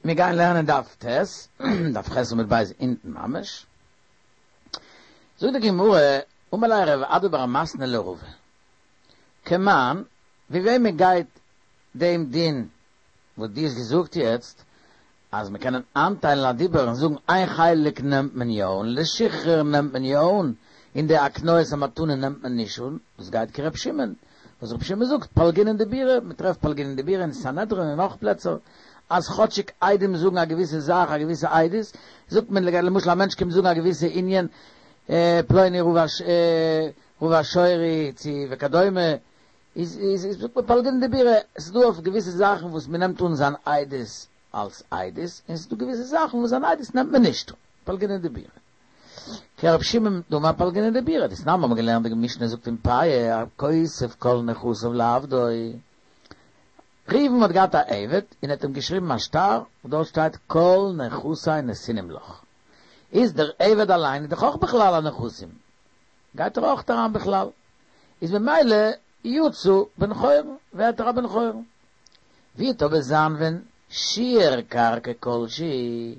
מיר גייען לערנען דף ט', דף ח' עמוד ב' אונטן ממש. זאגט די גמרא, אמר ליה רב אדא בר מתנה לרבא, כמאן, ווי וועמען גייט דעם דין וואס דו האסט געזאגט יעצט, אז מען קען איינטיילן א דיבור און זאגן איין חלק נעמט מען יא אן, לשחרור נעמט מען יא אן, און די הקניית המתנה נעמט מען נישט אן, דאס גייט כר' שמעון, וואס ר' שמעון זאגט פלגינן דיבורא, מען טרעפט פלגינן דיבורא אין סנהדרין און נאך פלעצער, אז כאטשיג עדים זאגן א געוויסע זאך א געוויסע עדות, זאגט מען למשל א מענטש קומט זאגן א געוויסע ענין, פלוני רבע שורי צו וכדומה, איז איז זאגט מען פלגינן דיבורא, עס איז דא אויף געוויסע זאכן וואס מען נעמט אן זיין עדות אלס עדות, און עס איז דא געוויסע זאכן וואס זיין עדות נעמט מען נישט אן, פלגינן דיבורא. כרב שמעון דאמר פלגינן דיבורא, דתנן האבן מיר געלערנט די משנה זאגט אין פאה, הכותב כל נכסיו לעבדו. ראובן האט געהאט א עבד און האט אים געשריבן א שטר וואס דארט שטייט כל נכסי נתונים לך. איז דער עבד אליין איז דאך אויך בכלל הנכסים, גייט ער אויך אריין בכלל, איז ממילא יצא בן חורין, ווערט ער א בן חורין. ווי וועט אבער זיין ווען שיער קרקע כל שהוא,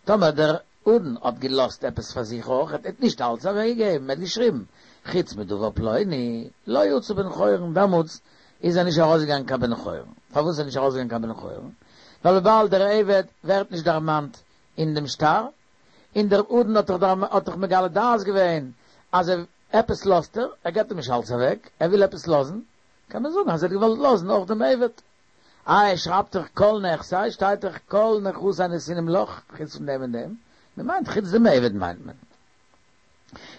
טאמער דער אדון האט געלאזט עפעס פאר זיך אויך, ער האט נישט אלץ אוועק געגעבן, ער האט געשריבן חוץ מדבר פלוני, לא יצא בן חורין, דעמאלטס איז ער נישט ארויסגעגאנגען קיין בן חורין. פארוואס איז ער נישט ארויסגעגאנגען קיין בן חורין? ווייל וויבאלד דער עבד ווערט נישט דערמאנט אין דעם שטר, און דער אדון האט דאך האט דאך מגלה דעת געווען אז ער עפעס לאזט ער, ער געבט אים נישט אלץ אוועק, ער וויל עפעס לאזן, קען מען זאגן אז ער האט געוואלט לאזן אויך דעם עבד. איי ער שרייבט דאך כל נכסי, שטייט דאך כל נכסי נתונים לך, חוץ פון דעם און דעם, מען מיינט חוץ דעם עבד מיינט מען.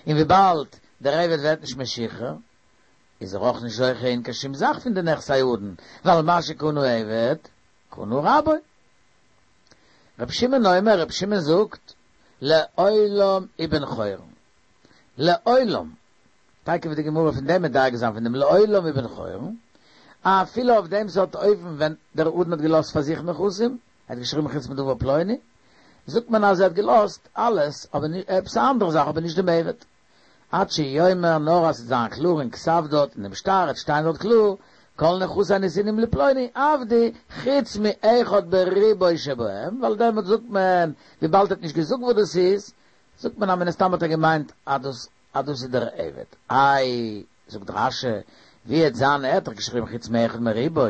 און וויבאלד דער עבד ווערט נישט משוחרר, איז ער אויך נישט זוכה אין קיין שום זאך פון די נכסי אדון, ווייל מה שקנה עבד, קנה רבו. רבי שמעון אומר, רבי שמעון זאגט, לעולם הוא בן חורין. לעולם. תיכף וועט די גמרא פון דעם מדייק זיין פון דעם לעולם הוא בן חורין, אפילו אויף דעם סארט אופן ווען דער אדון האט געלאזט פאר זיך נכסים, ער האט געשריבן חוץ מדבר פלוני, זאגט מען אז ער האט געלאזט אלעס, אבער עפעס א אנדערע זאך אבער נישט דעם עבד. עד שיאמר נאר אז ס'וועט זיין קלאר אין כתב דארט אין דעם שטר עט שטיין דארט קלאר כל נכסי נתונים לפלוני עבדי חוץ מאחד בריבוא שבהם ווייל דעמאלט זאגט מען וויבאלד ער האט נישט געזאגט וואס דאס איז זאגט מען אז מן הסתם האט ער געמיינט אז דאס אז דאס איז דער עבד איי זאגט רש"י ווי עט זיין ער האט דאך געשריבן חוץ מאחד מריבוא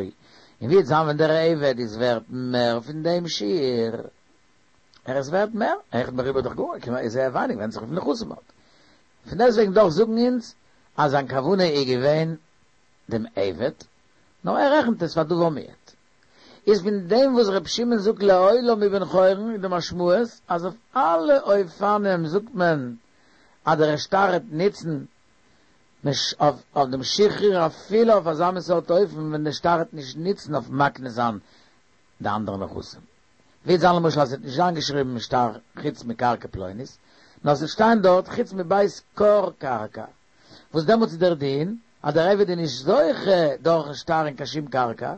און ווי עט זיין ווען דער עבד איז ווערט מער פון דעם שיעור ער איז ווערט מער, אחד מריבוא דאך גאר, כמעט איז זייער ווייניג ווענדט זיך וויפיל נכסים מ'האט. פון דעסטוועגן דאך זאגן אונז אז זיין כוונה איז געווען דעם עבד, נאר ער רעכנט עס פאר דבר מועט. איז פון דעם וואס ר' שמעון זאגט לעולם הוא בן חורין איז די משמעות אז אויף אלע אופנים זאגט מען אז דער שטר עט נוצן אויף דעם שחרור אפילו אויף אזא מין סארט אופן ווען דער שטר עט נישט נוצן אויף מקנה זיין די אנדערע נכסים. וועט זיין למשל אז עס וועט נישט זיין געשריבן אין שטר חוץ מקרקע פלונית, נאר עס וועט שטיין דארט חוץ מבית כור קרקע, וואס דעמאלטס איז דער דין אז דער עבד איז נישט זוכה דורכן שטר אין קיין שום קרקע,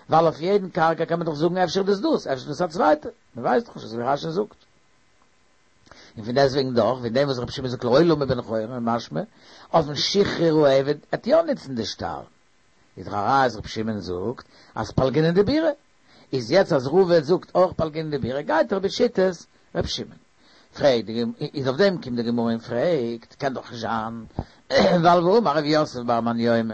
ווייל אויף יעדן קרקע קען מען דאך זאגן אפשר איז דאס דאס, אפשר איז דאס א צווייטע, מען ווייסט דאך נישט אזוי ווי רש"י זאגט. און פון דעסטוועגן דאך, פון דעם וואס רבי שמעון זאגט לעולם הוא בן חורין איז משמע, אויפן שחרור העבד עט יא נוצן די שטר. איז דאך א ראיה אז רבי שמעון זאגט אז פלגינן דיבורא. איז יעצט אז רבא זאגט אויך פלגינן דיבורא גייט ער בשיטת ר' שמעון. פרעגט די גמ' איז אויף דעם קומט די גמרא און פרעגט קען דאך נישט זיין ווייל והאמר ר' יוסף בר מניומי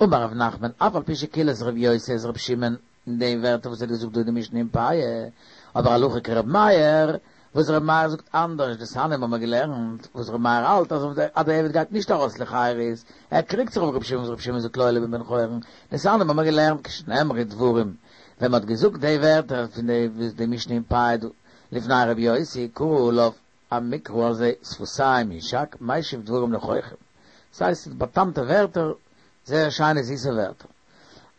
אמר ר' נחמן אף על פי שקילס ר' יוסי את ר' שמעון אין די ווערטער וואס ער האט געזאגט דא אין די משנה אין פאה אבער הלכה כר' מאיר וואס ר' מאיר זאגט אנדערש, דתניא האבן מיר געלערנט וואס ר' מאיר האלט אז אז דער עבד גייט נישט ארויס לחירות, ער קריגט זיך אויף ר' שמעון וואס ר' שמעון זאגט לעולם הוא בן חורין, דתניא האבן מיר געלערנט כשנאמרו דברים, ווען מ'האט געזאגט די ווערטער פון די די משנה אין פאה דא לפני ר' יוסי קרא עליו המקרא הזה שפתים ישק משיב דברים נכוחים, ס'הייסט ס'איז באטאמטע ווערטער, זייער שיינע זיסע ווערטער.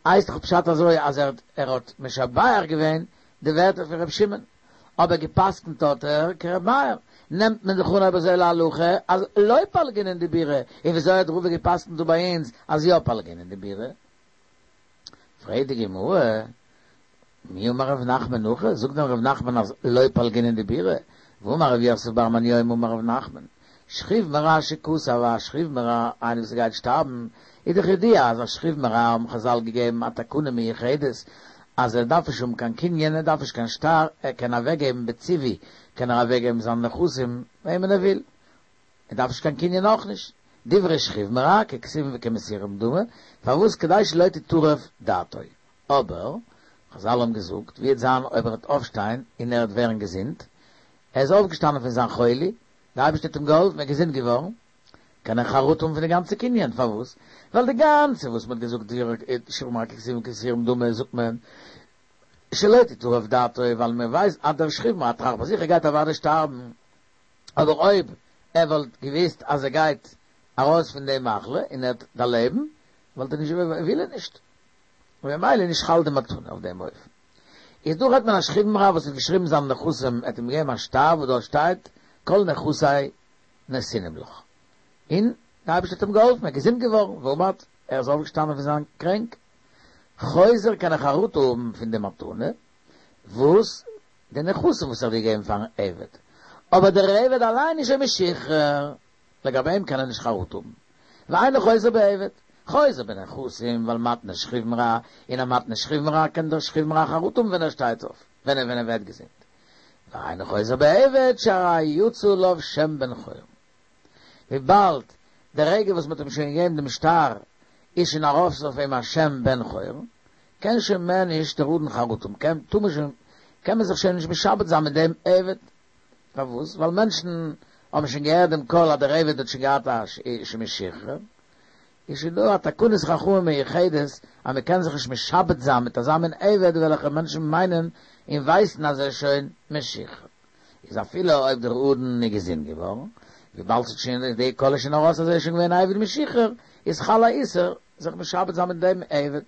הייסט דאך פשט אזוי אז ער ער האט משבח געווען די ווערטער פון ר' שמעון. אבער געפסקנט האט ער כר' מאיר, נעמט מען זיך אן אויב אזוי להלכה אז לא פלגינן דיבורא, און וויאזוי האט רבא געפסקנט דא ביי אונז אז יא פלגינן דיבורא? פרעגט די גמרא, מי אמר רב נחמן הכי, זאגט דען רב נחמן אז לא פלגינן דיבורא, והאמר רב יוסף בר מניומי אמר רב נחמן, שכיב מרע שכתב א שכיב מרע איינער וואס גייט שטארבן, איז דאך ידוע אז א שכיב מרע האבן חזל געגעבן א תקנה מיוחדת. אז ער דארף נישט האבן קיין קנין, ער דארף נישט קיין שטר, ער קען אוועקגעבן בציווי, קען ער אוועקגעבן זיינע נכסים וועמען ער וויל, ער דארף נישט קיין קנין אויך נישט. דברי שכיב מרע ככתובין וכמסורים דמו, פארוואס כדי שלא תטרף דעתו. אבער, חזל האבן געזאגט, ווי וועט זיין אויב ער וועט אויפשטיין און ער וועט ווערן געזונט, ער איז אויפגעשטאנען פון זיין חולי, דער אייבערשטער האט אים געהאלפן, ער איז געזונט געווארן, קען ער חרטה האבן פון די גאנצע קנין, פארוואס? ווייל די גאנצע וואס מען האט געזאגט דברי שכיב מרע ככתובין וכמסורים דמו זאגט מען שלא תטרף דעתו ווייל מען ווייסט אז דער שכיב מרע טראכט ביי זיך ער גייט אוודאי שטארבן, אבער אויב ער וואלט געוויסט אז ער גייט ארויס פון די מחלה און ער וועט דערלעבן וואלט ער נישט וויל ער נישט, און ממילא איז נישט חל די מתנה אויף דעם אופן. איז דא רעדט מען א שכיב מרע וואס האט געשריבן זיינע נכסים ער האט אים געגעבן א שטר וואס דארט שטייט כל נכסי נתונים לך. און דער אייבערשטער האט אים געהאלפן, ער איז געזונט געווארן, ועמד, ער איז אויפגעשטאנען פון זיין קרענק. חוזר קען ער חרטה האבן פון די מתנה, וואס די נכסים וואס ער האט געגעבן פארן עבד, אבער דער עבד אליין איז שוין משוחרר, לגבי אים קען ער נישט חרטה האבן. ואינו חוזר בעבד, חוזר בנכסים, ווייל מתנה שכיב מרע, און א מתנה שכיב מרע קען דער שכיב מרע חרטה האבן ווען ער שטייט אויף, ווען ער ווערט געזונט. ואינו חוזר בעבד שהרי יצא עליו שם בן חורין. וויבאלד די רגע וואס מ'האט אים שוין געגעבן דעם שטר איז שוין ארויף אויף אים א שם בן חורין, קען שוין מער נישט דער אדון חרטה האבן, קען טאר מען שוין קען מען זיך שוין נישט משעבד זיין מיט דעם עבד. פארוואס? ווייל מענטשן האבן שוין געהערט דעם קול אז דער עבד האט שוין געהאט א שם משוחרר, איז שוין דא א תקנת חכמים מיוחדת אז מען קען זיך נישט משעבד זיין מיט אזא מין עבד וועלכע מענטשן מיינען און ווייסן אז ער איז שוין משוחרר. איז אפילו אויב דער אדון איז געזונט געווארן, וויבאלד ס'האט שוין די קול איז שוין ארויס אז ער איז שוין געווען א עבד משוחרר, איז חל א איסור זיך משעבד זיין מיט דעם עבד.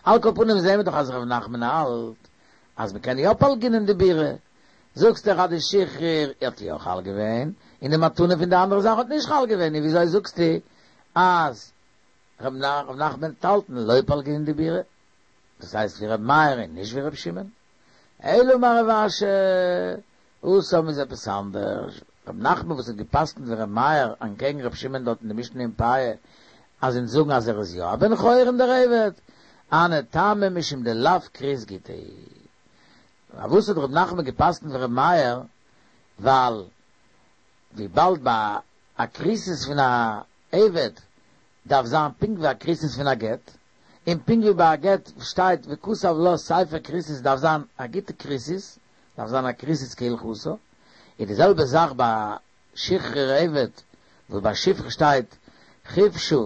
על כל פנים זעהן מיר דאך אז ר' נחמן האלט אז מ'קען יא פלגינן דיבורא, זאגסט דאך אז די שחרור האט יא חל געווען, און די מתנה פון די אנדערע זאך האט נישט חל געווען, און וויאזוי זאגסטו אז ר' נחמן וועט האלטן לא פלגינן דיבורא? דאס הייסט ווי ר' מאיר און נישט ווי ר' שמעון? אלא אמר רב אשי, התם איז עפעס אנדערש, ר' נחמן וואס האט געפסקנט ווי ר' מאיר אנטקעגן ר' שמעון דארט אין די משנה אין פאה, אז אונז זאגן אז ער איז יא א בן חורין דער עבד, הני טעמא משום דלאו כרית גיטא הוא. פארוואס האט ר' נחמן געפסקנט ווי ר' מאיר? ווייל וויבאלד ביי א כריתות פון א עבד דארף זיין פונקט ווי א כריתות פון א גט, און פונקט ווי ביי א גט שטייט וכתב לה ספר כריתות דארף זיין א גוטע כריתות, דארף זיין א כריתות כהלכתה, איז די זעלבע זאך ביי שחרור עבד, וואס ביי שפחה שטייט חפשה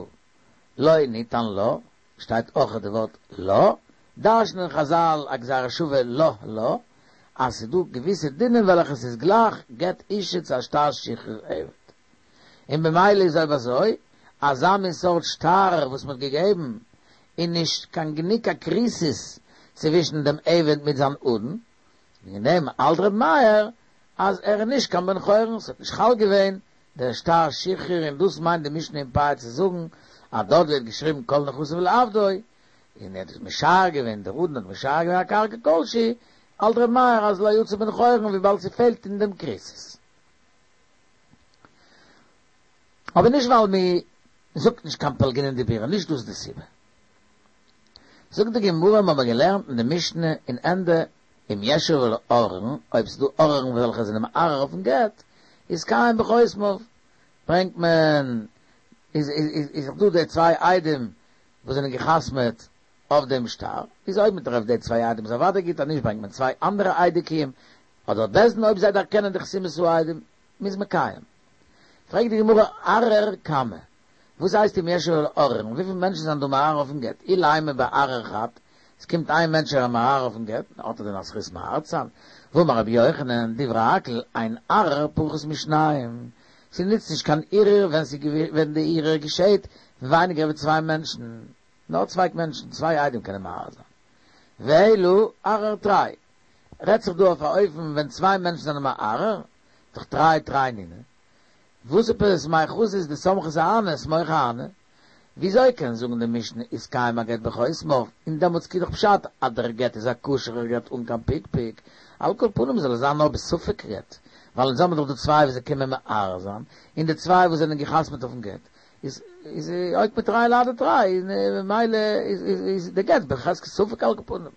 לא ניתן לה, שטייט אויך די ווארט לה, דרש'נען חזל א גזירה שווה לה לה, אז ס'איז דא געוויסע דינים וועלכע ס'איז גלייך גט אישה צו א שטר שחרור עבד. און במילא איז אויב אזוי, אזא מין סארט שטר וואס מ'האט געגעבן איז נישט קיין גענוג א כריתות צווישן דעם עבד מיט זיין אדון, וועגן דעם האלט ר' מאיר אז ער איז נישט קיין בן חורין, ס'האט נישט חל געווען דער שטר שחרור און דאס מיינט די משנה אין פאה צו זאגן אז דארט ווערט געשריבן כל נכסיו לעבדו, און ער האט עס משער געווען, דער אדון האט משער געווען א קרקע כלשהי, האלט ר' מאיר אז לא יצא בן חורין וויבאלד ס'פעלט אין דעם כריתות. אבער נישט ווייל מ'זאגט נישט קיין פלגינן דיבורא, נישט דאס די סיבה. זאגט די גמרא, מ'האמער געלערנט אין די משנה אין ענדע אם יש עליו עוררין, אויב ס'דא עוררין וועלכע זענען מערער אויפן גט, יתקיים בחותמיו, ברענגט מען, איז איז דא די צוויי עדים וואס זענען געחתמעט אויף דעם שטר, איז אויב מ'טרעפט די צוויי עדים איז אוודאי גוט, אז נישט ברענגט מען צוויי אנדערע עדי קיום, אדער בית דין אויב זיי דערקענען די חתימת העדים, מ'איז מקיים. פרעגט די גמרא ערער כמה, וואס הייסט אם יש עליו עוררין? וויפיל מענטשן זענען דא מערער אויפן גט? אילימא בערער חד, עס קומט איין מענטש ער איז מערער אויפן גט, האט ער דען א זכות מערער צו זיין? והאמר רבי יוחנן, דברי הכל, אין ערער פחות משניים, ס'נוצט נישט קיין ערעור ווען ווען די ערעור געשעהט ווייניגער ווי צוויי מענטשן, נאר צוויי מענטשן, צוויי עדים קענען מערער זיין. ואלא ערער תרי, רעדט זיך דא אויף א אופן ווען צוויי מענטשן זענען מערער, דאך תרי תרי נינהו. וואס עפעס מאי חזית דסמכת אהני סמוך אהני? וויאזוי קען זאגן די משנה יתקיים הגט בחותמיו, און דעמאלטס איז דאך פשט אז דער גט איז א כשר'ער גט אן קיין פקפוק, על כל פנים זאל עס זיין נאר בספק גט, ווייל אונז האבן דאך די צוויי וואס זיי קומען מערער זיין, און די צוויי וואס זענען געחתמעט אויפן גט. איז איז אוקמיה תרי להדי תרי, ממילא איז איז די גט בחזקת ספק על כל פנים.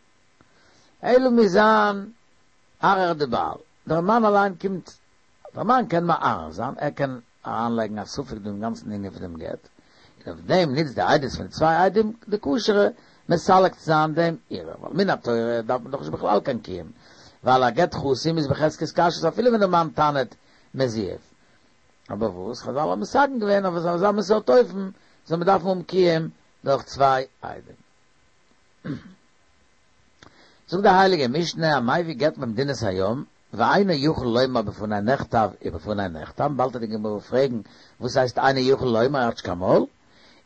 אלא מוז זיין ערער די בעל, דער מאן אליין קומט, דער מאן קען מערער זיין, ער קען אריינלייגן א ספק דא אין גאנצן ענין פון דעם גט, און אויף דעם נוצט די עדות פון די צוויי עדים די כשר'ע מסלק צו זיין דעם ערעור, ווייל מן התורה דארף מען דאך נישט בכלל קיין קיום, ווייל א גט חתום איז בחזקת כשרות אפילו ווען דער מאן טענה'ט מזויף. אבער וואס חזל האבן מתקן געווען אויף אזא מין סארט אופן זאל מען דארפן האבן קיום דורך צוויי עדים. זאגט די הייליגע משנה המביא גט ממדינת הים ואינו יכול לומר בפני נכתב ובפני נחתם, באלד וועט די גמרא פרעגן וואס הייסט אינו יכול לומר ער האט נישט קיין מויל,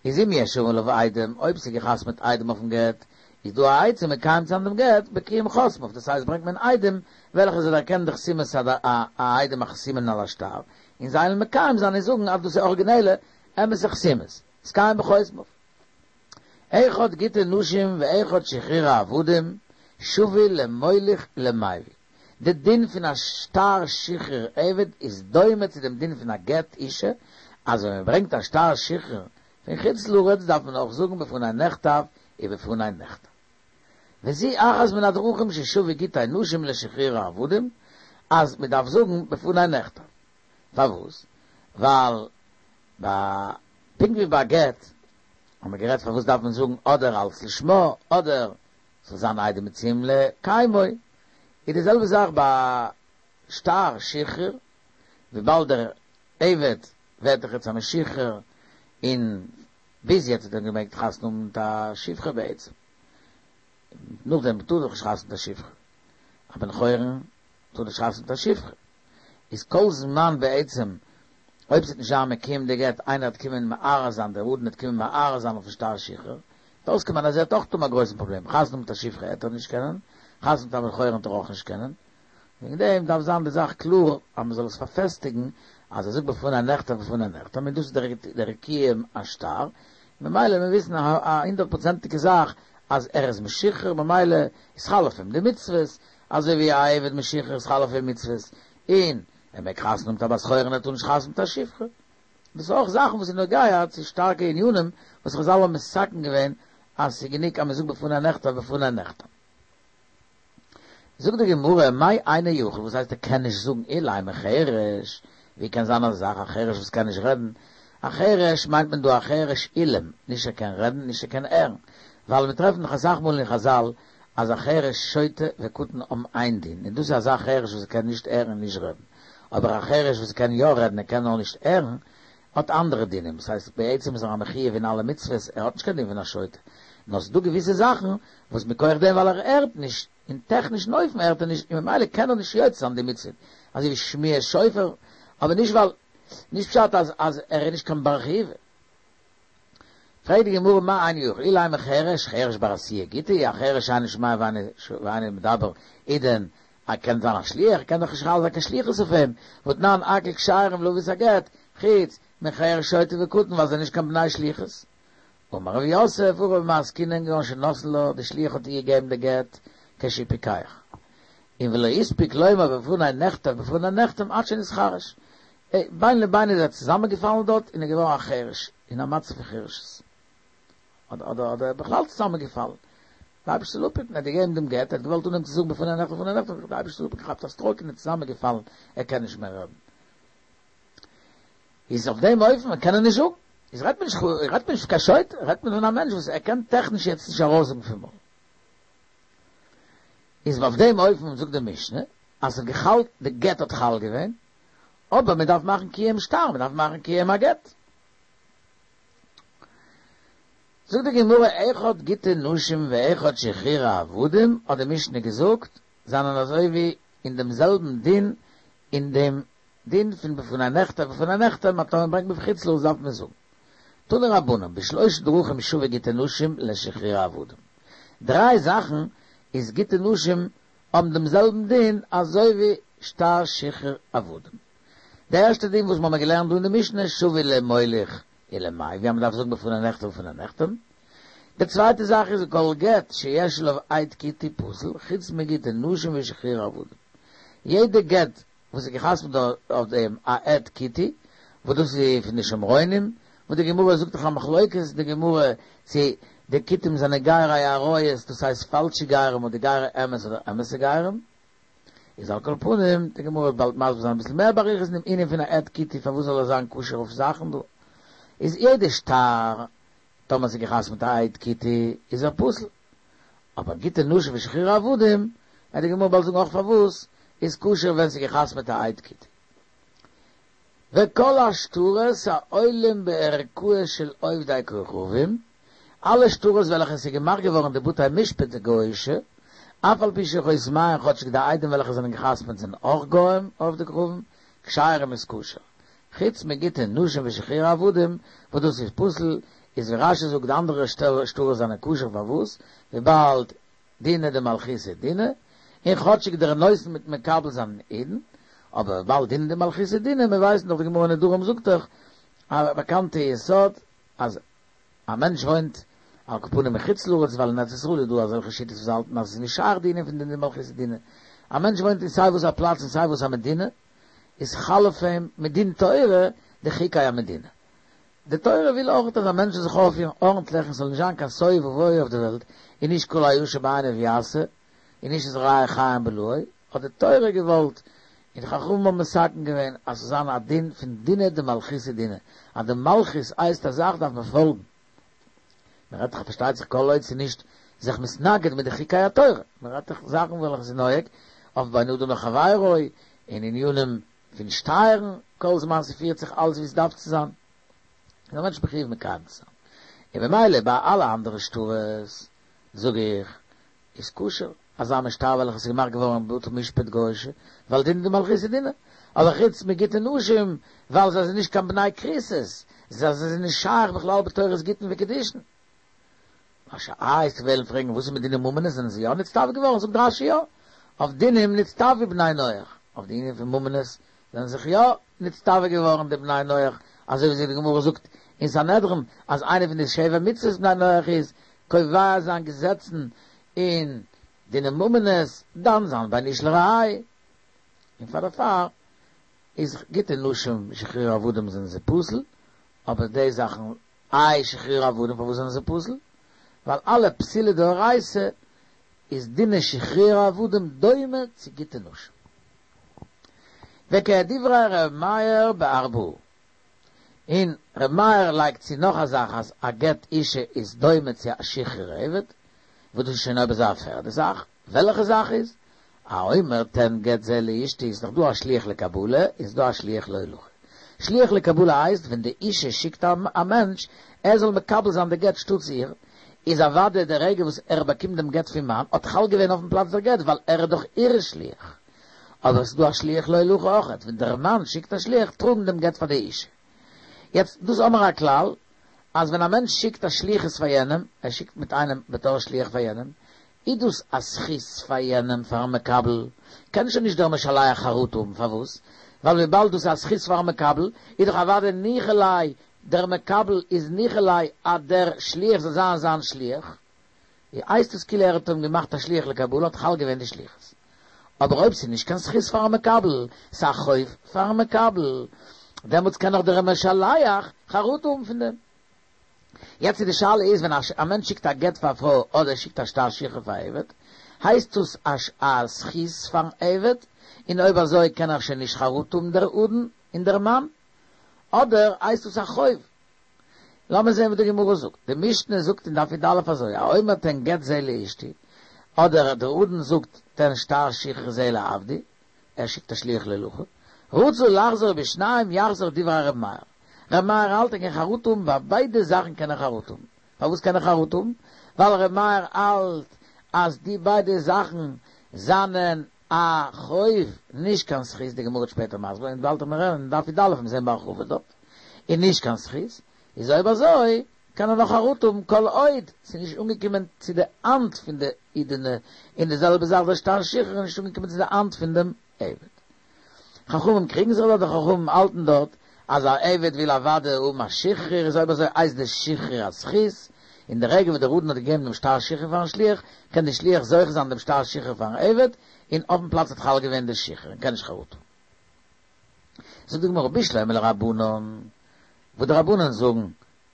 איז אם יש עליו עדים, אויב ס'איז געחתמ'עט עדים אויפן גט, איז דא א עצה מקיים צו זיין דעם גט בקיום חותמיו, דאס הייסט ברענגט מען עדים וועלכע זיי דערקענען די חתימת העדים החתומין על השטר, און זיי וועלן מקיים זיין און זאגן אז דאס איז אריגינעלע אמת'ע חתימות, נתקיים בחותמיו. אחד גיטי נשים ואחד שחרורי עבדים שוה למוליך ולמביא. די דין פון א שטר שחרור עבד איז דומה צו דעם דין פון א גט אישה, אז ווען מען ברענגט א שטר שחרור פון חוץ לארץ דארף מען אויך זאגן בפני נכתב ובפני נחתם. וזו אחת מן הדרכים ששוו גיטי נשים לשחרורי עבדים, אז מען דארף זאגן בפני נכתב. פארוואס? ווייל ביי פונקט ווי ביי גט האט מען גערעדט פארוואס דארף מען זאגן אדער אלס לשמה אדער ס'זאל זיין עדים מצויים לקיימו, איז די זעלבע זאך ביי שטר שחרור, וויבאלד דער עבד ווערט דאך יעצט א משוחרר, און ביז יעצט האט ער געמעגט חתונה האבן מיט א שפחה בעצם, נאכדעם טאר ער דאך נישט חתונה מיט א שפחה, א בן חורין טאר נישט חתונה מיט א שפחה, איז כל זמן בעצם אויב ס'וועט נישט זיין מקוים די גט, איינער וועט קומען מערער זיין, דער אדון וועט קומען מערער זיין אויפן שטר שחרור, וועט אויסקומען אז ער וועט אויך האבן א גרויסן פראבלעם, חתונה מיט א שפחה העט ער נישט קענען, חתונה מיט א בן חורין וועט ער אויך נישט קענען, וועגן דעם דארף זיין די זאך קלאר אז מ'זאל עס פארפעסטיגן אז ער זאגט בפני נכתב ובפני נחתם און דאס איז דער קיום השטר, ממילא מיר וויסן א הונדערט פראצענטיגע זאך אז ער איז משוחרר ממילא איז חל אויף אים די מצוות, אזוי ווי א עבד משוחרר איז חל אויף אים מצוות, און ער מעג חתונה האבן מיט א בת חורין ער טאר נישט חתונה מיט א שפחה. דאס איז אויך זאכן וואס איז נוגע צו שטארקע ענינים וואס חזל האבן מתקן געווען אז ס'איז גענוג אז מ'זאגט בפני נכתב ובפני נחתם. זאגט די גמרא, מאי אינו יכול, וואס הייסט ער קען נישט זאגן אילימא חרש, ווי קען זיין אזא זאך א חרש וואס קען נישט רעדן, א חרש מיינט מען דא א חרש אילם, נישט ער קען רעדן נישט ער קען הערן, ווייל מיר טרעפן דאך אסאך מאל אין חזל אז א חרש שוטה וקטן האבן איין דין, און דאס איז אזא חרש וואס קען נישט הערן און נישט רעדן, אבער א חרש וואס קען יא רעדן ער קען נאר נישט הערן, האט אנדערע דינים, דאס הייסט בעצם איז ער א מחויב אין אלע מצוות, ער האט נישט קיין דין פון א שוטה, נאר ס'איז דא געוויסע זאכן וואס מכח דעם ווייל ער הערט נישט, אין טעכנישן אופן הערט ער נישט און ממילא קען ער נישט יוצא זיין די מצוה, אזוי ווי שמיעת שופר, אבער נישט ווייל, נישט פשט אז אז ער איז נישט קיין בר חיובא. פרעגט די גמרא מאי אינו יכול אילימא חרש, חרש בר עשייה גיטא, א חרש שאינו שומע ואינו מדבר, איז דען ער קען זיין א שליח, קען דאך נישט חל זיין קיין שליחות אויף אים, והתנן הכל כשרים להביא את הגט, חוץ מחרש שוטה וקטן ווייל זיי זענען נישט קיין בני שליחות. אמר רב יוסף, הכא במאי עסקינן כגון שנתנה לה, די שליח האט איר געגעבן די גט כשהוא פיקח. און ולא הספיק לומר בפני נכתב ובפני נחתם עד שנתחרש. בין לבין איז ער צוזאמענגעפאלן דארט און איז געווארן א חרש, אין א מצב פון חרשות. אדער אדער אדער בכלל צוזאמענגעפאלן. די אייבערשטער זאל אפהיטן, ער האט געגעבן דעם גט, ער האט געוואלט אנהייבן צו זאגן בפני נכתב ובפני נחתם, די אייבערשטער זאל אפהיטן, געכאפט א סטראוק און איז צוזאמענגעפאלן, ער קען נישט מער רעדן. איז אויף דעם אופן קען ער נישט זאגן. איז רעדט מען נישט רעדט מען נישט פון קיין שוטה, רעדט מען פון א מענטש וואס ער קען טעכניש יעצט נישט ארויסזאגן פון מויל. איז אויף דעם אופן זאגט די משנה אז ס'האט געחאלט, די גט האט חל געווען, אבער מען דארף מאכן קיום שטר, מען דארף מאכן קיום הגט. זאגט די גמרא אחד גיטי נשים ואחד שחרורי עבדים, האט די משנה געזאגט, זענען אזוי ווי אין דעם זעלבן דין, אין דעם דין פון בפני נכתב ובפני נחתם, אז טאמער ברענגט מען פון חוץ לארץ דארף מען זאגן. תנו רבנן, בשלושה דרכים שוו גיטי נשים לשחרורי עבדים. דריי זאכן איז גיטי נשים האבן דעם זעלבן דין אזוי ווי שטר שחרור עבדים. די ערשטע דין וואס מ'האמער געלערנט דא אין די משנה שוה למוליך ולמביא אז מ'דארף זאגן בפני נכתב ובפני נחתם. די צווייטע זאך איז כל גט שיש עליו עד כותי פסול חוץ מגיטי נשים ושחרורי עבדים. יעדע גט וואס איז געחתמ'ט אויף דעם א עד כותי, וואס דאס איז פון די שומרונים, וואס די גמרא זאגט דאך א מחלוקת אין די גמרא צו די כותים זענען גיירי אריות דאס הייסט פאלשע גרים אדער גיירי אמת אדער אמת'ע גרים, איז על כל פנים די גמרא וועט באלד מסביר זיין אביסל מער באריכות אין דעם ענין פון א עד כותי פארוואס זאל ער זיין כשר אויף זאכן דא איז יעדע שטר טאמער ס'איז געחתמ'ט א עד כותי איז ער פסול אבער גיטי נשים ושחרורי עבדים וועט די גמרא באלד זאגן אויך פארוואס איז כשר ווען ס'איז געחתמ'ט א עד כותי. וכל השטרות העולים בערכאות של עובדי כוכבים, אלע שטרות וועלכע עס איז געמאכט געווארן די בתי משפט די גויאישע, אף על פי שחותמיהן כאטשיג די עדים וועלכע זענען געחתמעט זענען אויך גוים עובדי כוכבים, כשרים איז כשר. חוץ מגיטי נשים ושחרורי עבדים וואס דאס איז פסול, איז ווי רש"י זאגט די אנדערע שטרות זענען כשר פארוואס? וויבאלד דינא דמלכותא דינא, און כאטשיג דער נותן מיט מקבל זענען אידן, אבער וויבאלד דינא דמלכותא דינא, מיר ווייסן דאך די גמרא אין נדרים זאגט דאך א באקאנטע יסוד אז א מענטש וואוינט על כל פנים אין חוץ לארץ ווייל אין ארץ ישראל איז דא אזעלכע שיטות וואס האלטן אז עס איז נישט שייך די ענין פון דינא דמלכותא דינא, א מענטש וואוינט אין סיי וואס א פלאץ אין סיי וואס א מדינה, איז חל אויף אים מדין תורה די חוקי המדינה. די תורה וויל אויך אז א מענטש זאל זיך אויפפירן ארנטליך און ס'זאל נישט זיין קיין תוהו ובוהו אויף די וועלט, און נישט כל הישר בעיניו יעשה, און נישט את רעהו חיים בלעו, האט די תורה געוואלט, און די חכמים האבן מתקן געווען, אז ס'זאל זיין א דין פון דינא דמלכותא דינא, אז די מלכות הייסט א זאך דארף מען פאלגן. מען רעדט דאך פארשטייט זיך כל עוד ס'איז נישט זיך מתנגד מיט די חוקי התורה, מען רעדט דאך זאכן וועלכע ס'איז נוהג אויף בין אדם לחבירו, און ענינים פון שטייערן, כל זמן ס'פירט זיך אלס ווי ס'דארף צו זיין, איז א מענטש מחויב מקיים צו זיין. און במילא ביי אלע אנדערע שטרות, זאג איך, איז כשר אזא מין שטר וועלכע ס'איז געמאכט געווארן בבתי משפט גוי'אישע, ווייל דינא דמלכותא דינא. אבער חוץ מגיטי נשים, ווייל זיי זענען נישט קיין בני כריתות, זיי זענען נישט שייך בכלל בתורת גיטין וקידושין. רש"י וועסט וועלן פרעגן וואס איז מיט דיני ממונות זענען זיי יא נצטווה געווארן זאגט רש"י יא אויף דינים נצטוו בני נח אויף די ענין פון ממונות זענען זיך יא נצטווה געווארן די בני נח אזוי ווי די גמרא זאגט אין סנהדרין אז איינע פון די שבע מצוות בני נח איז קובע זיין געזעצן אין דיני ממונות דן זיין בין איש לרעהו און פאר דערפאר איז גיטי נשים שחרור עבדים זענען זיי פסול אבער די זאכן איי שחרור עבדים פארוואס זענען זיי פסול? ווייל אלע פסולי דאורייתא איז דיני שחרור עבדים דומה צו גיטי נשים. וכדברי ר' מאיר בארבעה. און ר' מאיר לייגט צו נאך א זאך אז א גט אישה איז דומה צו א שחרור עבד, וואס דאס איז שוין אויב אזוי א פערדע זאך. וועלכע זאך איז? האומר תן גט זה לאשתי איז דאך דא א שליח לקבלה איז דא א שליח להולכה. שליח לקבלה הייסט ווען די אישה שיקט א מענטש ער זאל מקבל זיין די גט שטאטס איר, איז אוודאי די רגע וואס ער באקומט דעם גט פון מאן האט חל געווען אויפן פלאץ דער גט ווייל ער איז דאך איר שליח. אבער עס איז דא א שליח להולכה אויכעט ווען דער מאן שיקט א שליח טראגן דעם גט פאר די אישה. יעצט דאס האמער א כלל אז ווען א מענטש שיקט א שליחות פאר יענעם, ער שיקט מיט איינעם בתור שליח פאר יענעם, איז דאס א זכות פאר יענעם פארן מקבל, קען שוין נישט דער משלח חרטה האבן, פארוואס? ווייל וויבאלד דאס איז א זכות פארן מקבל, איז דאך אוודאי ניחא ליה, דער מקבל איז ניחא ליה אז דער שליח זאל זיין זיין שליח, הייסט עס כאילו ער האט אים געמאכט א שליח לקבלה האט חל געווען די שליחות. אבער אויב ס'איז נישט קיין זכות פארן מקבל, ס'איז א חוב פארן מקבל, דעמאלטס קען נאך דער משלח חרטה האבן פון דעם. יעצט איז די שאלה איז ווען א מענטש שיקט א גט פאר א פרוי אדער שיקט א שטר שחרור פאר א עבד, הייסט דאס א זכות פארן עבד, און אויב אזוי קען ער שוין נישט חרטה האבן דער אדון און דער מאן, אדער הייסט דאס א חוב? לאמיר זען וואס די גמרא זאגט, די משנה זאגט אין דף י"א אזוי, האומר תן גט זה לאשתי, אדער דער אדון זאגט תן שטר שחרור זה לעבדי, ער שיקט א שליח להולכה, רצה לחזור בשניים יחזור דברי ר' מאיר, ר' מאיר האלט ער קען חרטה האבן ביי ביידע זאכן קען ער חרטה האבן, פארוואס קען ער חרטה האבן? ווייל ר' מאיר האלט אז די ביידע זאכן זענען א חוב נישט קיין זכות, די גמרא וועט שפעטער מסביר זיין, באלד וועט מען אין דף י"א און זען בהרחבה דארט, און נישט קיין זכות, איז אויב אזוי קען ער נאך חרטה האבן כל עוד ס'איז נישט אנגעקומען צו די האנט פון די אידענע, און די זעלבע זאך דער שטר שחרור איז נישט אנגעקומען צו די האנט פון דעם עבד. חכמים קריגן זיך דארט, די חכמים האלטן דארט אז א עבד וויל אוודאי האבן א שחרור, איז אויב אזוי הייסט די שחרור א זכות, און די רגע וואס דער אדון האט געגעבן דעם שטר שחרור פארן שליח, קען די שליח זוכה זיין דעם שטר שחרור פארן עבד, און אויפן פלאץ האט חל געווען די שחרור, און קען נישט חרטה האבן. זאגט די גמרא בשלמא לרבנן, וואס די רבנן זאגן.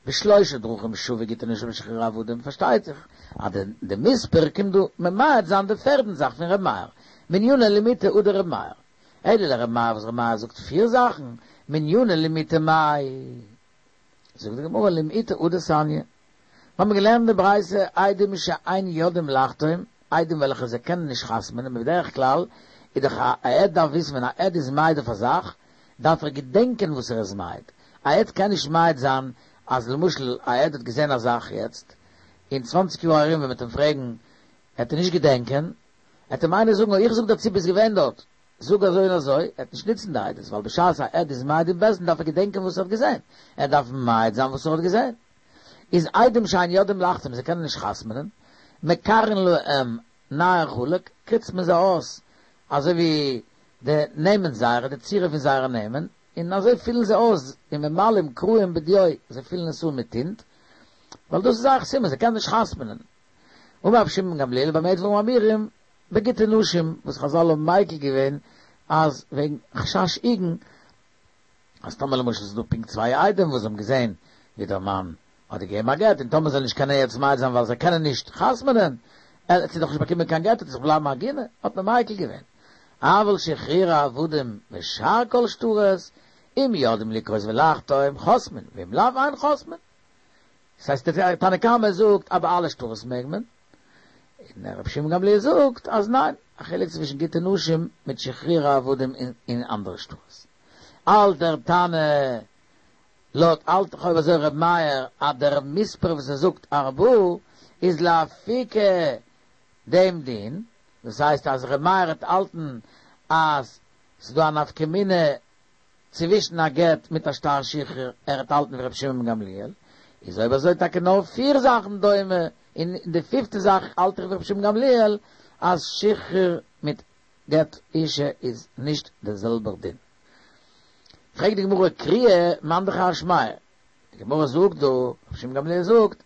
בשלושה דרכים שוה גיטי נשים ושחרורי עבדים, פארשטייט זיך אז די מספר קומט דא ממעט זיין די פערדן זאך פון ר' מאיר, מנינא למעוטי הוא דר' מאיר. אלא לר' מאיר וואס ר' מאיר זאגט פיר זאכן, מנינא למעוטי מאי. זאגט די גמרא למעוטי הא דתניא. מיר האבן געלערנט די ברייתא עדים שאין יודעים לחתום, עדים וועלכע זיי קענען נישט חתמ'נען, בדרך כלל איז דאך א עד דארף וויסן ווען א עד איז מעיד אויף א זאך, דארף ער געדענקען וואס ער איז מעיד, א עד קען נישט מעיד זיין אז למשל א עד האט געזען א זאך יעצט, אין צוואנציג יאר ארום ווען מ'וועט אים פרעגן העט ער נישט געדענקען, העט אים איינער זאגן איך זאג דיר צו ביסט געווען דארט, זאג אזוי און אזוי, ער העט נישט נוצן די עדות, ווייל בשעת א עד איז מעיד אין בית דין דארף ער געדענקען וואס ער האט געזען, ער דארף מעיד זיין וואס ער האט געזען. איז עדים שאין יודעים לחתום זיי קענען נישט חתמ'נען, מקרעין להם נייר חלק, קריצט מען זיי אויס אזוי ווי די נעמען זייערע, די צורה פון זייערע נעמען, און אזוי פילן זיי אויס, וממלאים קרעים בדיו, זיי פילן עס אן מיט טינט, ווייל דאס איז זייער חתימה, זיי קענען נישט חתמ'נען. אמר רבי שמעון בן גמליאל במה דברים אמורים, בגיטי נשים, וואס חזל האבן מיקל געווען אז וועגן חשש עיגון, אז טאמער למשל ס'איז דא פונקט צוויי עדים וואס האבן געזען ווי דער מאן האט געגעבן א גט, און טאמער זיי נישט קענען יעצט מעיד זיין ווייל זיי קענען נישט חתמ'נען, ער האט זי דאך נישט באקומען קיין גט, וועט זי בלייבן עגונה, האט מען מיקל געווען. אבל שחרורי עבדים ושאר כל שטרות, אם יודעים לקרות ולחתום, חותמין, ואם לאו אין חותמין. דאס הייסט דער תנא קמא זאגט אז ביי אלע שטרות מעג מען, און רבי שמעון גמליאל זאגט אז ניין, א חילוק צווישן גיטי נשים מיט שחרורי עבדים און אנדערע שטרות. האלט דער תנא לויט האלט דאך אויב אזוי ר' מאיר אז דער מספר וואס ער זאגט ארבעה איז לאפוקי דעם דין, דאס הייסט אז ר' מאיר העט האלטן אז ס'איז דא א נפקא מינה צווישן א גט מיט א שטר שחרור, ער העט האלטן ווי ר' שמעון בן גמליאל, איז אויב אזוי טאקע נאר פיר זאכן דומה, און די פיפטע זאך האלט איך ווי ר' שמעון גמליאל אז שחרור מיט גט אישה איז נישט דער זעלבער דין. פרעגט די גמרא קריאה מאן דכר שמיה, די גמרא זאגט דא, רבי שמעון גמליאל זאגט,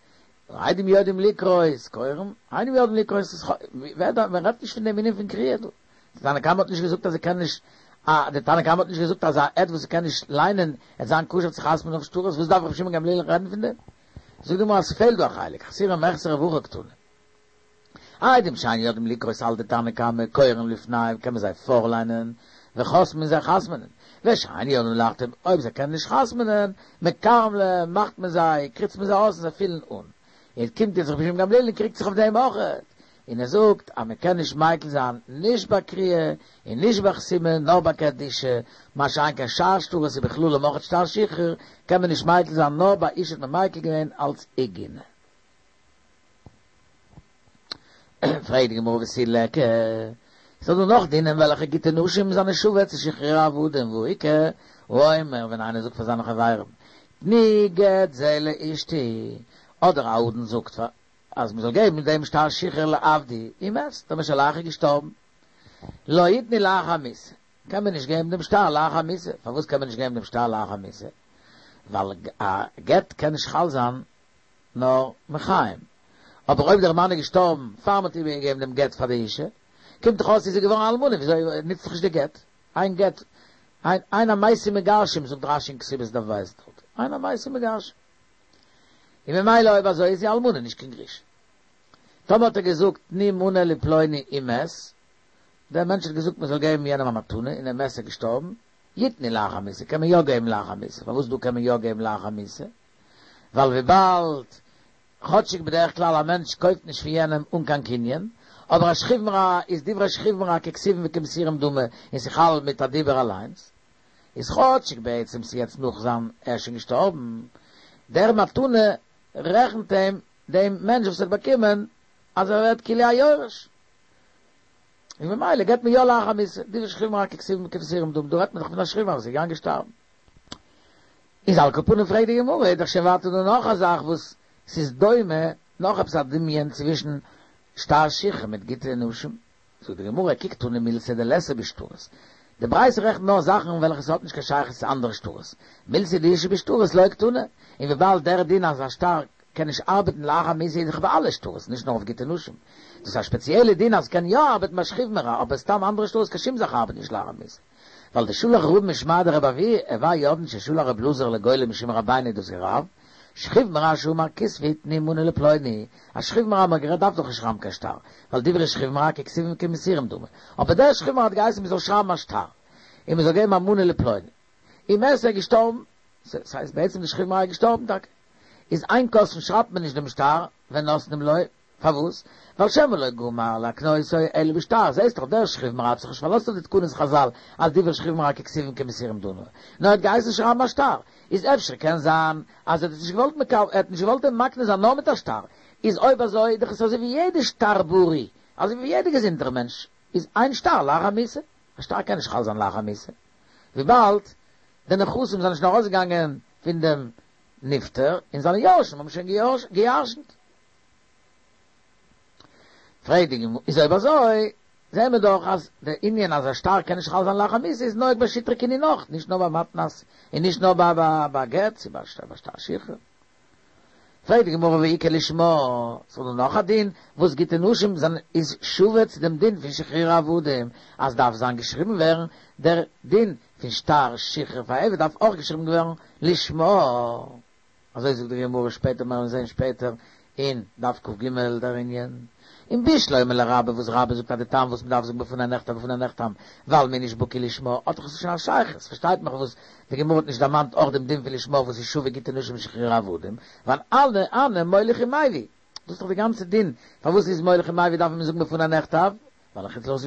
עדים יודעים לקרות קורין, אינם יודעים לקרות איז ח ווער דא, מען רעדט נישט פון דעם ענין פון קריאה דא, די תנא קמא האט נישט געזאגט אז ער קען נישט, א די תנא קמא האט נישט געזאגט אז א עד וואס קען נישט ליינען עט זיין כשר צו חתמ'ן אויף שטרות, וואס דארף רבי שמעון גמליאל רעדן פון דעם? זאגט די גמרא אז ס'פעלט דא א חלק, חסורי מחסרא והכי קתני. עדים שאין יודעים לקרות האלט די תנא קמא קורין לפניהם קען מען זיי פארליינען וחותמין זיי חתמ'נען ושאין יודעים לחתום אויב זיי קענען נישט חתמ'נען מקרעין להם מאכט מען זיי קריצט מען זיי אויס און זיי פילן אן און קומט יעצט רבי שמעון גמליאל און קריגט זיך אויף דעם אויכעט און ער זאגט אז מען קען נישט מיקל זיין נישט ביי קריאה און נישט ביי חתימה נאר ביי גט אישה מה שאין כן שאר שטרות ובכללם אויכעט שטר שחרור קען מען נישט מיקל זיין נאר ביי אישה האט מען מיקל געווען אלץ עיגונה. פרעגט די גמרא ותו ליכא, ס'איז דא נאך דינים וועלכע גיטי נשים זענען שווה צו שחרורי עבדים והא איכא האומר ווען איינער זאגט פאר זיינע חברים תנו גט זה לאשתי אדער א אדון זאגט פאר אז מ'זאל געבן דעם שטר שחרור לעבדי ומת דער משלח איז געשטארבן לא יתנו לאחר מיתה קען מען נישט געבן דעם שטר לאחר מיתה פארוואס קען מען נישט געבן דעם שטר לאחר מיתה ווייל א גט קען נישט חל זיין נאר מחיים. אבער אויב דער מאן איז געשטארבן פאר מ'האט איבערגעגעבן דעם גט פאר די אישה, קומט דאך אויס זי איז געווארן אלמנה, וויאזוי נוצט זיך נישט די גט? אין גט, אין המתים מגרשים, זאגט רש"י אין כתובות דף ב' דארט, אין המתים מגרשים. און ממילא אויב אזוי איז זי אלמנה נישט קיין גרושה. טאמער האט ער געזאגט תנו מנה לפלוני ומת, דער מענטש האט געזאגט מ'זאל געבן יענעם א מתנה און ער מת איז געשטארבן, יתנו לאחר מיתה, קען מען יא געבן לאחר מיתה, פארוואס דא קען מען יא געבן לאחר מיתה? ווייל וויבאלד כאטשיג בדרך כלל א מענטש קויפט נישט פון יענעם אן קיין קנין, אבער א שכיב מרע איז דברי שכיב מרע ככתובים וכמסורים דמי און ס'חל מיט א דיבור אליינס, איז כאטשיג בעצם ס'יעצט נאך זיין ער איז שוין געשטארבן, דער מתנה רעכנט אים דעם מענטש וואס האט באקומען אז ער ווערט כאילו א יורש. און ממילא געבט מען יא לאחר מיתה, דברי שכיב מרע ככתובים וכמסורים דמי, דא רעדט מען דאך פון א שכיב מרע וואס איז געגאנגען שטארבן. איז על כל פנים פרעגט די גמרא, איז דאך שוין ווייטער דא נאך א זאך וואס ס'איז דומה, נאך עפעס א דמיון צווישן שטר שחרור מיט גיטי נשים, זאגט די גמרא, כי קתני מילתא דליתא בשטרות, די ברייתא רעכנט נאר זאכן וועלכע ס'האט נישט קיין שייכות צו אנדערע שטרות, מילתא דאיתא בשטרות לא קתני, און וויבאלד דער דין אז א שטר קען נישט ארבעטן לאחר מיתה איז דאך ביי אלע שטרות, נישט נאר אויף גיטי נשים, דאס איז א שפעציעלע דין אז ס'קען יא ארבעטן ביי שכיב מרע, אבער סתם אנדערע שטרות קיין שום זאך ארבעט נישט לאחר מיתה. ווייל דשלח רבין משמיה דרבי אבהו, הוו יודעין ששלח רב אלעזר לגולה משום רבינו דאס איז רב. שכיב מרע שאמר כתבו ותנו מנה לפלוני, אז שכיב מרע האט גערעדט דארף דאך נישט שרייבן קיין שטר, ווייל דברי שכיב מרע ככתובים כמסורים דמי, אבער דער שכיב מרע האט געהייסן מען זאל שרייבן א שטר, און מען זאל געבן א מנה לפלוני. ומת, איז ער געשטארבן, ס'הייסט בעצם די שכיב מרע איז געשטארבן טאקע, איז אין כותבין שרייבט מען נישט דעם שטר ונותנים לו, פארוואס? ווייל שמא לא גמר להקנותו אלא בשטר, זעהסט דאך דער שכיב מרע האט זיך נישט פארלאזט אויף די תקנות חזל אז דברי שכיב מרע ככתובים כמסורים דמי, נאר ער האט געהייסן שרייבן א שטר, איז אפשר קען זיין אז ער האט עס נישט געוואלט מקבל ער האט נישט געוואלט אים מקנה זיין נאר מיט א שטר, איז אויב אזוי איז דאך עס אזוי ווי יעדע שטר בריא, אזוי ווי יעדע געזונטער מענטש, איז אין שטר לאחר המיתה, א שטר קען נישט חל זיין לאחר המיתה, וויבאלד די נכסים זענען שוין ארויסגעגאנגען פון דעם נפטר און זיינע יורשים האבן שוין געירשנט. פרעגט די גמרא, איז אויב אזוי זעהן מיר דאך אז די ענין אז א שטר קען נישט חל זיין לאחר מיתה איז נוהג ביי שטרי קנין אויך, נישט נאר ביי מתנת און נישט נאר ביי גט, ס'איז ביי שטר שחרור. פרעגט די גמרא והא איכא לשמה, ס'איז דא נאך א דין וואס גיטי נשים זענען איז שווה צו דעם דין פון שחרור עבדים אז דארף זיין געשריבן ווערן דער דין פון שטר שחרור פאר עבד דארף אויך געשריבן ווערן לשמה. אזוי זאגט די גמרא שפעטער מיר וועלן זען שפעטער אין דף כ"ג דער ענין און בשלמא לרבה וואס רבה זאגט אז די טעם וואס מ'דארף זאגן בפני נכתב ובפני נחתם ווייל מ'איז נישט בקי לשמה האט דאך עס שוין א שייכות פארשטייט מען פארוואס די גמרא האט נישט דערמאנט אויך דעם דין פון לשמה וואס איז שווה גיטי נשים ושחרור עבדים ווייל אלע הני מוליך ומביא דאס איז דאך די גאנצע דין פארוואס איז מוליך ומביא דארף מען זאגן בפני נכתב ווייל אין חוץ לארץ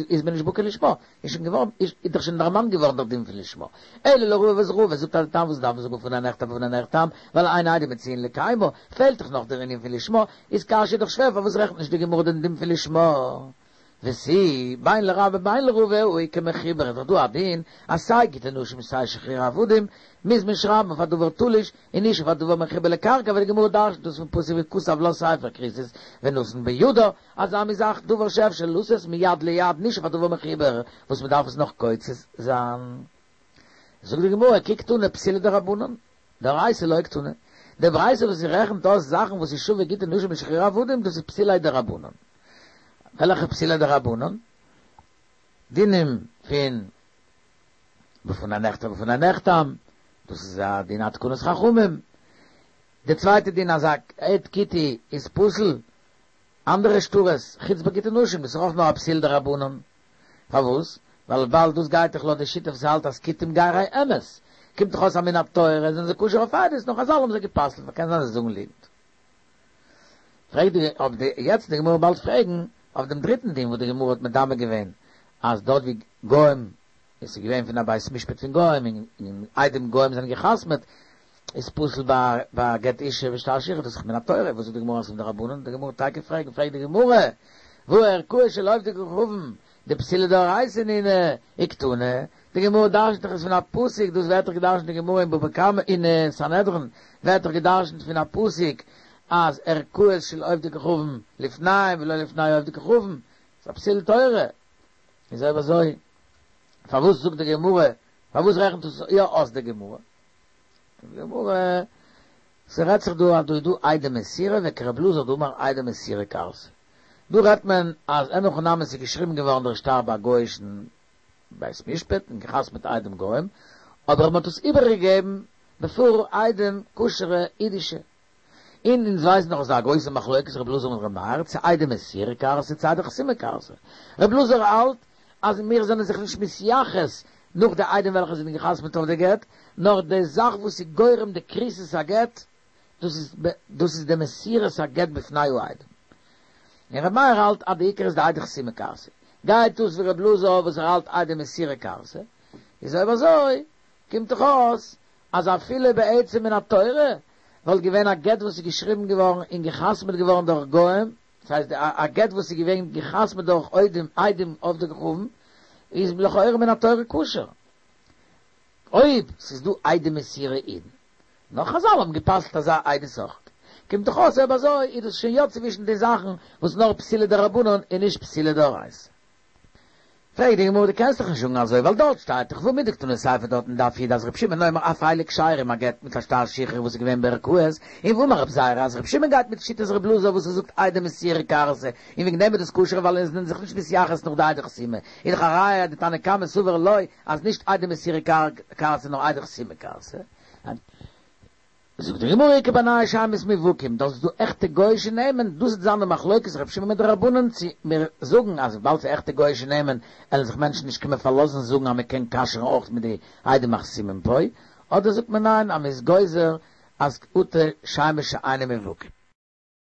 איז מען נישט בקי לשמה, איז שוין געווארן, איז דאך שוין דערמאנט געווארן דער דין פון לשמה. אלא לרבא וואס רבא זאגט אז די טעם וואס דארף מען זאגן בפני נכתב ובפני נחתם, ווייל אין עדים מצויין לקיימו, פעלט דאך נאך דער ענין פון לשמה, איז קשיא דאך שווער פארוואס רעכנט נישט די גמרא דעם דין פון לשמה? ותו, בין לרבה בין לרבא הא איכא מחובר איז דאך דא א דין אז סיי גיטי נשים סיי שחרור עבדים מוז מען שרייבן אויף א דבר תלוש און נישט אויף א דבר מחובר לקרקע ווייל די גמרא דרש'נט דאס פון פסוק וכתב לה ספר כריתות ונתן בידה אזא מין זאך דבר שאפשר לתת מיד ליד נישט אויף א דבר מחובר וואס מען דארף עס נאך קוצץ זיין. זאגט די גמרא כי קתני פסולי דרבנן דאורייתא לא קתני, די ברייתא וואס זי רעכנט אויס זאכן וואס איז שווה גיטי נשים ושחרור עבדים דאס איז פסולי דרבנן. וועלכע פסולי דרבנן? דינים פון בפני נכתב ובפני נחתם, דאס איז א דין א תקנת חכמים. די צווייטע דין אז א עד כותי איז פסול, אנדערע שטרות, חוץ ביי גיטי נשים, דאס איז אויך נאר א פסול דרבנן. פארוואס? ווייל וויבאלד דאס גייט דאך לויט די שיטה וואס האלט אז כותים גרי אמת, קומט דאך אויס אז מן התורה זענען זיי כשר אויף עדות, נאר חזל האבן זיי גע'פסל'ט, קען זיין זיי זאגן ליגנט. פרעגט די אויף די יעצט די גמרא באלד פרעגן אויף דעם דריטן דין וואס די גמרא האט מדמה געווען אז דארט ווי גוים עס איז געווען פון א בית משפט פון גוים און עדים גוים זענען גע'חתמ'עט איז פסול ביי ביי גט אישה ושטר שחרור דאס איז מן התורה וואס זאגט די גמרא אז ס'איז מדרבנן די גמרא טאקע פרעגן פרעגט די גמרא והא ערכאות של עובדי כוכבים דפסולי דאורייתא נינהו וקתני די גמרא דרשנ'ט דאך עס פון א פסוק דאס ווערט דאך געדרשנ'ט אין גמרא אין בבא קמא אין סנהדרין ווערט דאך געדרשנ'ט פון א פסוק אז ערכאות של עובדי כוכבים לפניהם ולא לפני עובדי כוכבים ס'איז א פסול תורה איז אויב אזוי פארוואס זאגט די גמרא פארוואס רעכנט עס יא אויס די גמרא? די גמרא, ס'רעדט זיך דא אז דא איז דא עדי מסירה וכר' אלעזר דאמר עדי מסירה כרתי. דא רעדט מען אז אין הכי נמי ס'איז געשריבן געווארן דער שטר ביי א גוי'אישן בית משפט און געחתמ'עט עדים גוים, אבער מ'האט עס איבערגעגעבן בעפאר עדים כשר'ע אידישע. און אונז ווייסן דאך אז ס'איז א גרויסע מחלוקת ר' אלעזר מיט ר' מאיר צו עדי מסירה כרתי צו עדי חתימה כרתי. ר' אלעזר האלט אז מיר זענען זיך נישט מתייחס נאך די עדים וועלכע זענען געחתמ'ט אויף די גט, נאר די זאך וואס איז גורם די כריתות הגט, דאס איז דאס איז די מסירת הגט בפני העדים. און ר' מאיר האלט אז די עיקר איז די עדי חתימה כרתי. גייט אויס ווי ר' אלעזר וואס ער האלט עדי מסירה כרתי, איז אויב אזוי קומט דאך אויס אז אפילו בעצם מן התורה וואלט געווען א גט וואס איז געשריבן געווארן און געחתמ'ט געווארן דורך גוים, דאס הייסט א גט וואס איז געווען געחתמ'ט דורך עדים עדים עובדי כוכבים, איז לכאורה מן התורה כשר. אויב ס'איז דא עדי מסירה אידן. נאר חזל האבן גע'פסל'ט אזא עדות אויך. קומט דאך אויס אויב אזוי איז דאס שוין יא צווישן די זאכן וואס נאר פסולי דרבנן און נישט פסולי דאורייתא. פרעגט די גמרא דו קענסט דאך נישט זאגן אזוי ווייל דארט שטייט דאך והא מדקתני סיפא דארט אין דף י' אז ר' שמעון אומר אף אלו כשרים א גט מיט א שטר שחרור וואס איז געווען בערכאות און והאמר רב זירא אז ר' שמעון גייט מיט שיטת ר' אלעזר וואס ער זאגט עדי מסירה כרתי און וועגן דעם איז דאס כשר ווייל אונז זענען זיך נישט מתייחס נאך די עדי חתימה איז דאך א ראיה אז די תנא קמא סבר לא אז נישט עדי מסירה כרתי נאר עדי חתימה כרתי. זאגט די גמרא איכא בינייהו שמות מובהקים, דאס איז דא עכטע גויאישע נעמען, דאס וועט זיין די מחלוקת ר' שמעון מיט די רבנן צו מיר זאגן אז וויבאלד ס'איז עכטע גויאישע נעמען עלן זיך מענטשן נישט קומען פארלאזן זאגן אז מ'קען כשר'ן אויך מיט די עדים החתומים פה, אדער זאגט מען ניין אז מ'איז גוזר אז אטו שמות שאינם מובהקים.